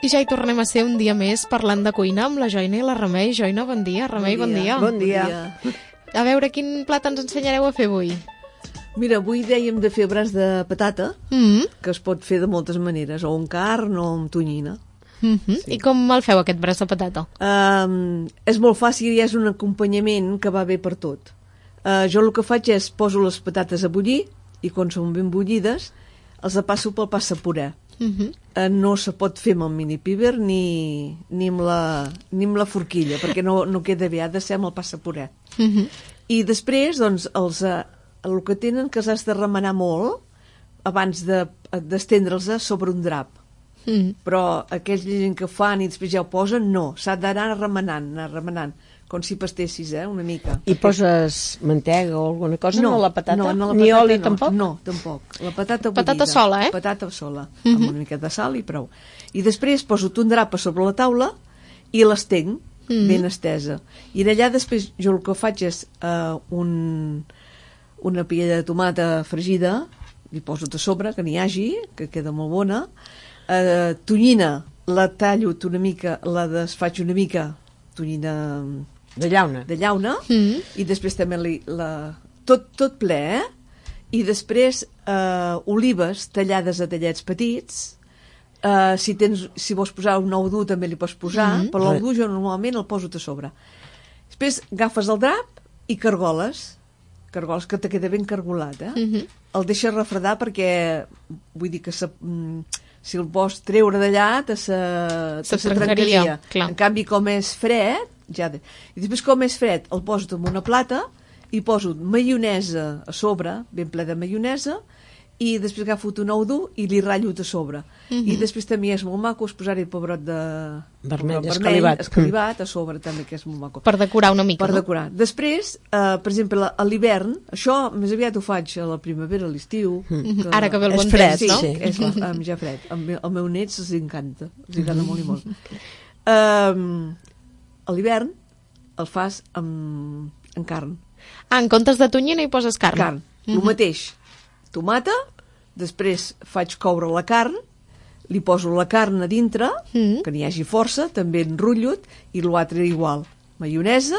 I ja hi tornem a ser un dia més parlant de cuina amb la Joina i la Remei. Joina, bon dia. Remei, bon dia. Bon dia. A veure, quin plat ens ensenyareu a fer avui? Mira, avui dèiem de fer braç de patata, que es pot fer de moltes maneres, o amb carn o amb tonyina. Sí. I com el feu, aquest braç de patata? És molt fàcil i és un acompanyament que va bé per tot. Jo el que faig és poso les patates a bullir i quan són ben bullides els passo pel passapuré. No se pot fer amb el mini píber ni amb la forquilla, perquè no queda bé, ha de ser amb el passapuré. I després, doncs, el que tenen que s'has de remenar molt abans d'estendre'ls sobre un drap. Però aquells gent que fan i després ja ho posen, no, s'ha d'anar remenant, com si pastessis, una mica. I poses mantega o alguna cosa? No, la patata? No, la ni patata oli, no. tampoc? No, tampoc. La patata bullida. Patata sola, Patata sola, amb una mica de sal i prou. I després poso un drap a sobre la taula i l'estenc ben estesa. I allà després jo el que faig és una paella de tomata fregida, li poso a sobre, que n'hi hagi, que queda molt bona. Tonyina, la tallo una mica, la desfaig una mica, tonyina de llauna, i després també tot ple, i després olives tallades a tallets petits. Si vols posar un ou dur també li pots posar, però l'ou dur jo normalment el poso a sobre. Després agafes el drap i cargoles que te queda ben cargolat, el deixes refredar perquè vull dir que si el vols treure d'allà se trencaria. En canvi, com és fred, i després com és fred el poso en una plata i poso maionesa a sobre, ben ple de maionesa, i després agafo un ou dur i li ratllo a sobre. I després també és molt maco posar-hi pebrot de vermell escalivat a sobre també, que és molt maco. Per decorar una mica, per decorar. Després, per exemple, a l'hivern, això més aviat ho faig a la primavera, a l'estiu. Ara que ve el bon temps, no? Sí, és ja fred. Al meu nets els encanta. Els encanta molt i molt. A l'hivern el fas amb carn. En comptes de tonyina hi poses carn? Carn, el mateix. Tomata, després faig coure la carn, li poso la carn a dintre, que n'hi hagi força, també enrotllo-t, i l'altre igual. Maionesa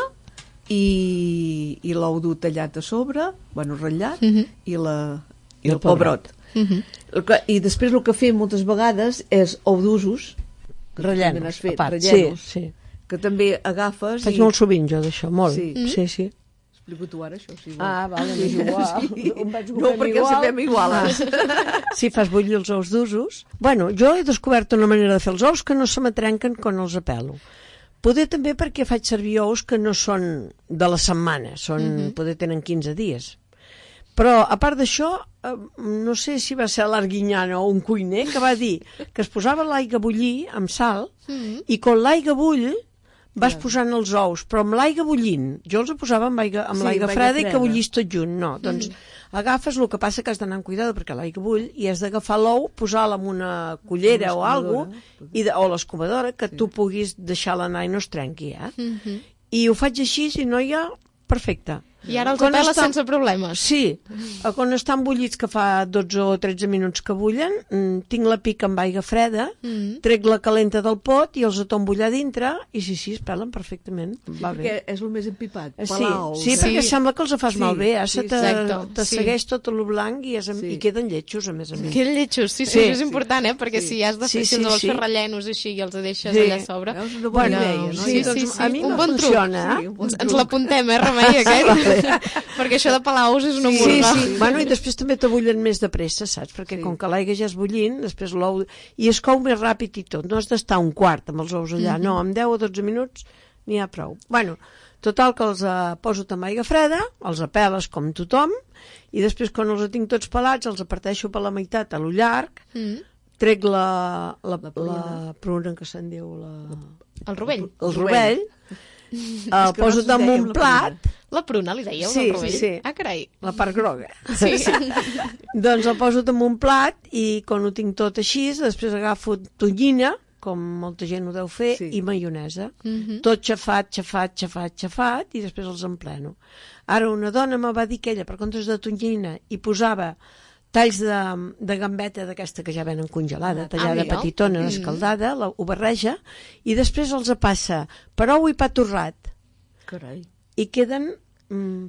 i l'ou dur tallat a sobre, ratllat, i el pebrot. I després el que fem moltes vegades és ou d'usos, rellenos, a part. Sí. Que també agafes... Faig molt sovint jo d'això, molt. Sí. Explico tu ara, això, si vols. Vale, és igual. No, perquè ho sabem iguales. Si fas bullir els ous d'usos... Bueno, jo he descobert una manera de fer els ous que no se m'atrenquen quan els apelo. Poder també perquè faig servir ous que no són de la setmana, poder tenen 15 dies. Però, a part d'això, no sé si va ser l'Arguinyana o un cuiner que va dir que es posava l'aigua a bullir amb sal i quan l'aigua bull vas posant els ous, però amb l'aigua bullint. Jo els posava amb l'aigua freda i que bullís tot junt. No, doncs agafes, el que passa que has d'anar amb cuidado perquè l'aigua bull i has d'agafar l'ou, posar-la amb una cullera o alguna cosa, o l'escovadora, que tu puguis deixar-la anar i no es trenqui. I ho faig així, i no hi ha... Perfecte. I ara els apeles sense problemes. Sí. Quan estan bullits, que fa 12 o 13 minuts que bullen, tinc la pica amb aigua freda, trec la calenta del pot i els tombo allà dintre i sí, es pelen perfectament. Va bé. Perquè és el més empipat. Sí, perquè sembla que els fas malbé. Te segueix tot el blanc i queden lletjos, a més a més. Queden lletjos, sí, és important, perquè si has de fer, si els vols fer rellenos així i els deixes allà a sobre... Una bona idea, a mi no funciona. Ens l'apuntem, Remei, aquest? Perquè això de pelar ous és una murga. Sí. Bueno, i després també t'abullen més de pressa, saps? Perquè com que l'aigua ja és bullint, després l'ou... I es cou més ràpid i tot. No has d'estar un quart amb els ous allà. No, amb 10 o 12 minuts n'hi ha prou. Bueno, total que els poso amb aigua freda, els apeles com tothom, i després quan els tinc tots pelats els aparteixo per la meitat a lo llarg, trec la pruna que se'n diu... El rovell. El rovell. El poso damunt un plat. La pruna, li dèieu, del rovell? Sí. Ah, carai. La part groga. Sí. Doncs el poso damunt un plat i quan ho tinc tot així, després agafo tonyina, com molta gent ho deu fer, i maionesa. Tot xafat, i després els empleno. Ara una dona me va dir que ella, per comptes de tonyina, hi posava talls de gambeta d'aquesta que ja venen congelada, tallada petitona, escaldada, ho barreja, i després els passa per ou i pa torrat. Carai. I queden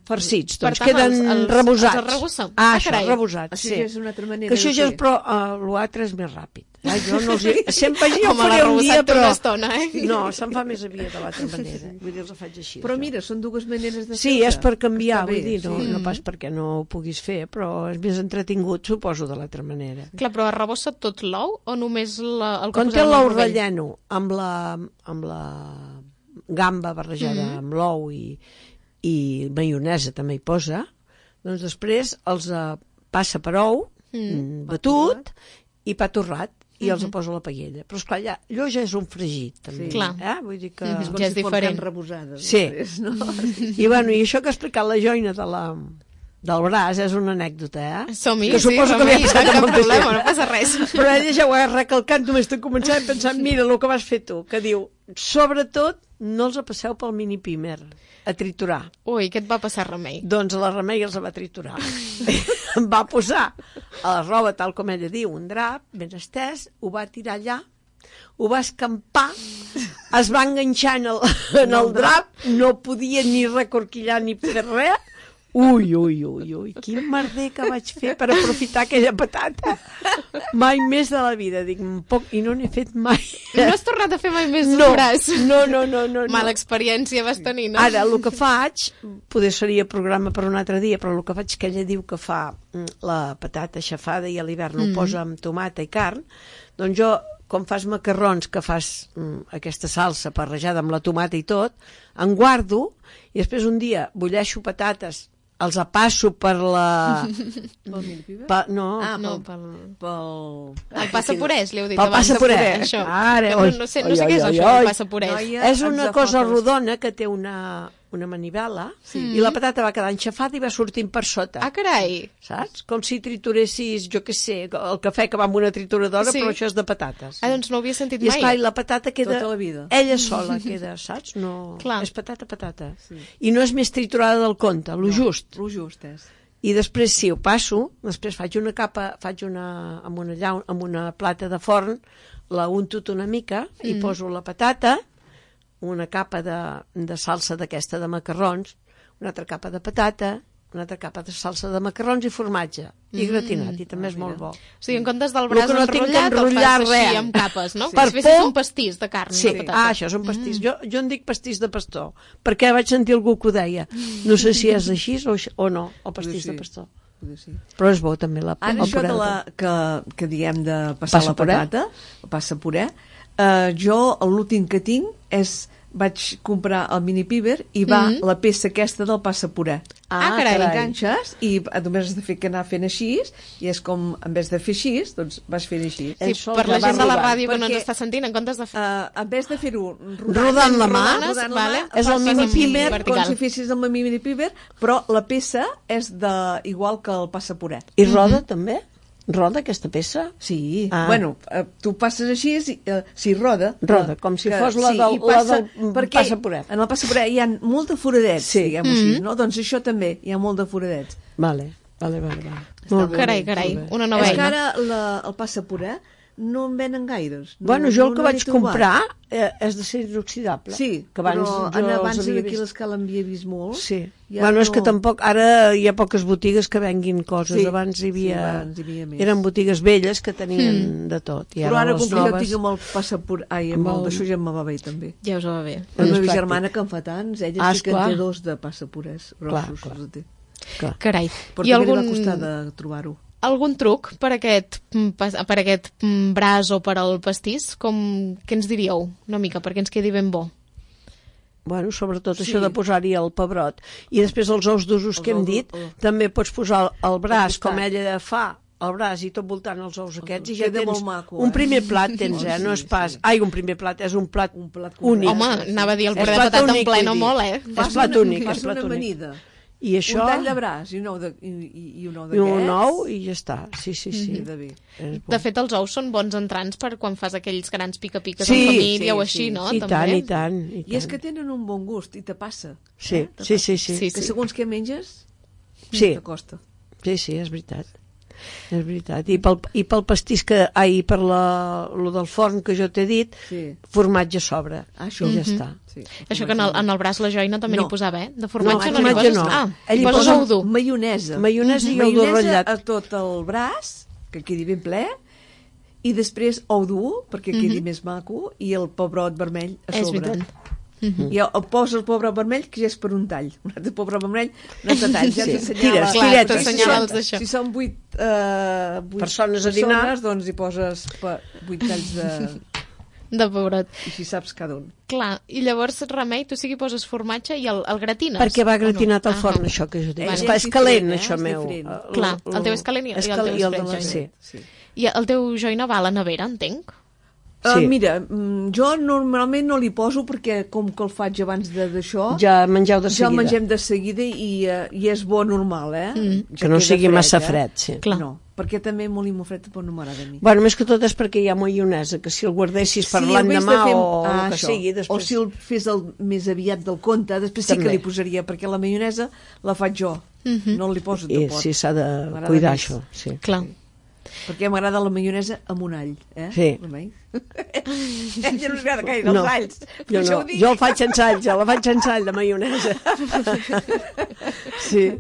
farcits, doncs queden rebosats. Els arrebossa? Això, rebosats, sí. És una altra manera que això ja és, però l'altre és més ràpid. Jo no sempre jo ho faré un dia, però... No, se'n fa més aviat de l'altra manera. Vull dir, els faig així. Però mira, són dues maneres de fer-ho. Sí, és per canviar, vull dir, no pas perquè no ho puguis fer, però és més entretingut, suposo, de l'altra manera. Clar, però arrebossa tot l'ou o només el que quan té l'ou relleno amb la gamba barrejada amb l'ou i maionesa també hi posa, doncs després els passa per ou batut i pa torrat i els posa a la paella. Però esclar, allò ja és un fregit també. Vull dir que... Ja és diferent. Sí. I això que ha explicat la Joina del braç és una anècdota, Som-hi, que suposo que li ha passat cap problema, no passa res. Però ella ja ho ha recalcat només de començar a pensar, mira el que vas fer tu, que diu, sobretot no els passeu pel mini pimer a triturar. Ui, què et va passar, Remei? Doncs la Remei els va triturar. Em va posar a la roba, tal com ella diu, un drap ben estès, ho va tirar allà, ho va escampar, es va enganxar en el drap, no podia ni recorquillar ni fer res. Ui, quin merder que vaig fer per aprofitar aquella patata. Mai més de la vida, dic, i no n'he fet mai. No has tornat a fer mai més d'un braç? No. Mala experiència vas tenir, no? Ara, el que faig, poder seria programa per un altre dia, però el que faig que ella diu que fa la patata aixafada i a l'hivern ho posa amb tomata i carn, doncs jo, com fas macarrons, que fas aquesta salsa barrejada amb la tomata i tot, en guardo i després un dia bulleixo patates, els passo per la... Pel mini-piber? No, pel... El passapurès, li heu dit abans. Pel passapurès. No sé què és això, el passapurès. És una cosa rodona que té una manivela i la patata va quedar enxafada i va sortint per sota. Ah, carai! Saps? Com si trituressis, jo què sé, el cafè que va amb una trituradora, però això és de patates. Ah, doncs no ho havia sentit mai. I esclar, la patata queda... Tota la vida. Ella sola queda, saps? No... És patata. I no és més triturada del compte, lo just. Lo just és. I després, si ho passo, després faig una capa, amb una plata de forn, la unto una mica i poso la patata, una capa de salsa d'aquesta de macarrons, una altra capa de patata, una altra capa de salsa de macarrons i formatge, i gratinat, i també és molt bo. O sigui, en comptes del braç enrotllat, el fas així amb capes, no? Com si fessis un pastís de carn. Sí, això és un pastís. Jo en dic pastís de pastor, perquè vaig sentir algú que ho deia. No sé si és així o no, el pastís de pastor. Però és bo també el puré. Ara això que diem de passar la patata, el passapuré, jo l'últim que tinc vaig comprar el mini-piber i va la peça aquesta del passapuré. Carai. L'enganxes i només has de fer anar fent així i és com, en vez de fer així, doncs vas fent així. Sí, per la gent de la ràdio que no ens està sentint, en comptes de fer... En vez de fer-ho rodant la mà, és el mini-piber, com si fessis el mini-piber, però la peça és igual que el passapuré. I roda també? Roda aquesta peça? Sí, bueno, tu passes així, si roda... Roda, com si fos la del passapuré. En el passapuré hi ha molt de foradets, diguem-ho així, no? Doncs això també, hi ha molt de foradets. Vale. Carai, una nova eina. És que ara el passapuré no en venen gaires. Bueno, jo el que vaig comprar és d'acer inoxidable. Sí, però abans aquí l'escala havia vist molt. Sí. Bueno, és que tampoc... Ara hi ha poques botigues que venguin coses. Abans hi havia... Eren botigues velles que tenien de tot. Però ara, com que jo tinc amb el passapuré... Ai, amb el d'això ja em va bé, també. Ja us va bé. La meva germana, que en fa tants, ella sí que en té 2 de passapurés grossos. Carai. Però també li va costar de trobar-ho. Algun truc per aquest braç o per al pastís? Què ens diríeu una mica perquè ens quedi ben bo? Bueno, sobretot això de posar-hi el pebrot. I després els ous d'usos que hem dit, també pots posar el braç, com ella fa, el braç i tot voltant els ous aquests, i ja tens un primer plat, no és pas... Ai, un primer plat, és un plat únic. Home, anava a dir el puré de patata en ple, no molt, És plat únic, és plat únic. I això... Un tall de braç i un ou d'aquests. I un ou i ja està. Sí. De fet, els ous són bons entrants per quan fas aquells grans pica-piques en família o així, no? I tant. I és que tenen un bon gust i te passa. Sí. Que segons què menges, t'acosta. Sí, és veritat. És veritat. I pel pastís per lo del forn que jo t'he dit, formatge a sobre. Això. I ja està. Sí, Això que en el braç la joina també n'hi posava, eh? De formatge No, no n'hi formatge poses? no. Ah, Ell hi hi poses posa ou dur. Maionesa. Maionesa i ou dur ratllat. A tot el braç, que quedi ben ple, i després ou dur, perquè quedi més maco, i el pebrot vermell a És sobre. veritat. I el posa el pebrot vermell, que ja és per un tall. Un altre pebrot vermell, un altre tall. Ja t'assenyala. Tires, Clar, tiretes. t'assenyala els d'això. Si són 8 Persones a dinar, doncs hi poses 8 talls De pebrot. i si saps cada un. Clar, i llavors, Remei, tu sí que hi poses formatge i el gratines? perquè va gratinat o al no? forn, això que jo dic. Vale. És calent, És això diferent, meu. és diferent. Clar, el teu és calent i el teu és i el de fred, la... sí. Sí. I el teu joina va a la nevera, entenc? Sí. Mira, jo normalment no li poso perquè com que el faig abans d'això, Ja mengeu de ja seguida. el mengem de seguida i és bo normal, eh? Ja Que no queda sigui massa eh? fred, sí. Clar. No, perquè també molt i molt fred tampoc no m'agrada a mi. Bueno, més que tot és perquè hi ha maionesa, que si el guardessis per Sí, l'endemà en vez de o el que això, sigui, o després... si el fes més aviat del compte, després sí També. que li posaria, perquè la maionesa la faig jo, no li poso de pot. Sí, s'ha de M'agrada cuidar més. això, sí. Clar. Perquè m'agrada la maionesa amb un all, eh? Sí. Remei? Ella no us agrada gaire els alls. Jo no, jo el faig sense all, la faig sense all de maionesa. Sí.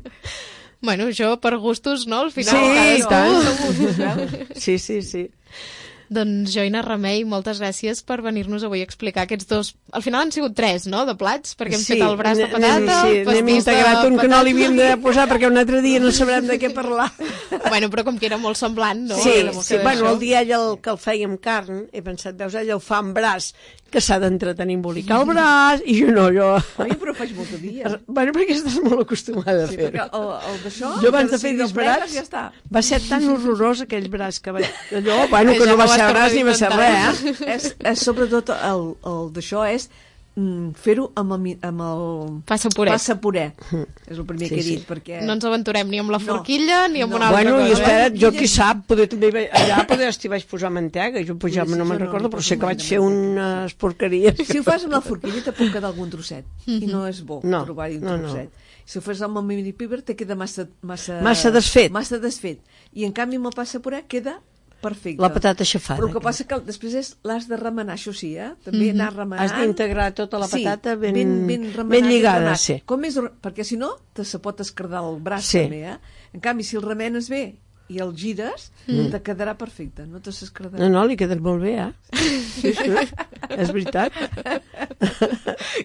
Bueno, jo per gustos, no? Al final, Sí, i cadascú. tant. Sí, sí, sí. Doncs Joina Remei, moltes gràcies per venir-nos avui a explicar aquests dos... Al final han sigut 3, no?, de plats, perquè hem fet el braç de patata, sí, pastís n'hem de integrat un que no li havíem de patata. posar perquè un altre dia no sabrem de què parlar. Bueno, però com que era molt semblant, no? Sí, Era molt sí. que Bueno, d'això. el dia ell que el feia amb carn, he pensat, veus, ell el fa amb braç, que s'ha d'entretenir a embolicar el braç, i jo no, jo... Oi, però faig molt de dia. Bueno, perquè estàs molt acostumada a Sí, fer-ho. perquè el d'això... Jo abans de que fer sigui del disbarats plegues, ja està. va ser tan horrorós aquell braç que vaig... Allò, bueno, Que que ja no va no ser vas braç ni va ser tornar a res, eh? És sobretot el d'això és fer-ho amb el Passa puret. passa puré. És el primer que he sí. dit, perquè... No ens aventurem ni amb la No. forquilla ni amb No. una altra Bueno, i cosa. espera't, jo qui sap, poder també allà poder t'hi vaig posar mantega, jo pujava, Sí, no me'n jo no recordo, li però poso sé que mai vaig de fer manteca. unes porqueries. Si ho fas amb la forquilla te pot quedar algun trosset i no és bo No, trobar-hi un no, trosset. Si ho fas amb el mini piber te queda massa desfet. Massa desfet. I en canvi amb el passa puré queda perfecte. La patata aixafada. Però el que passa que després l'has de remenar, això sí, també anar remenant. Has d'integrar tota la patata sí, ben remenat, lligada, remenat. sí. Perquè si no, se pot escardar el braç Sí. també, eh? En canvi, si el remenes bé i el gires, te quedarà perfecte, no te s'escardarà. No, li quedat molt bé, eh? Sí, sí, és veritat.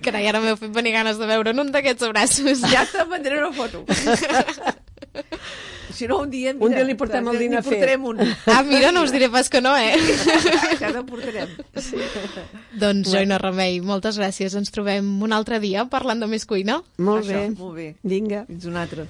Carai, ara m'heu fet venir ganes de veure un d'aquests braços. Ja te mandré una foto. Si no, un dia... Un dia li portem el dinar fet. N'hi portarem un. Ah, mira, no us diré pas que no, eh? Ja te'n portarem. Sí. Doncs, Joina Remei, moltes gràcies. Ens trobem un altre dia parlant de més cuina. Molt Això, bé. molt bé. Vinga. Fins un altre.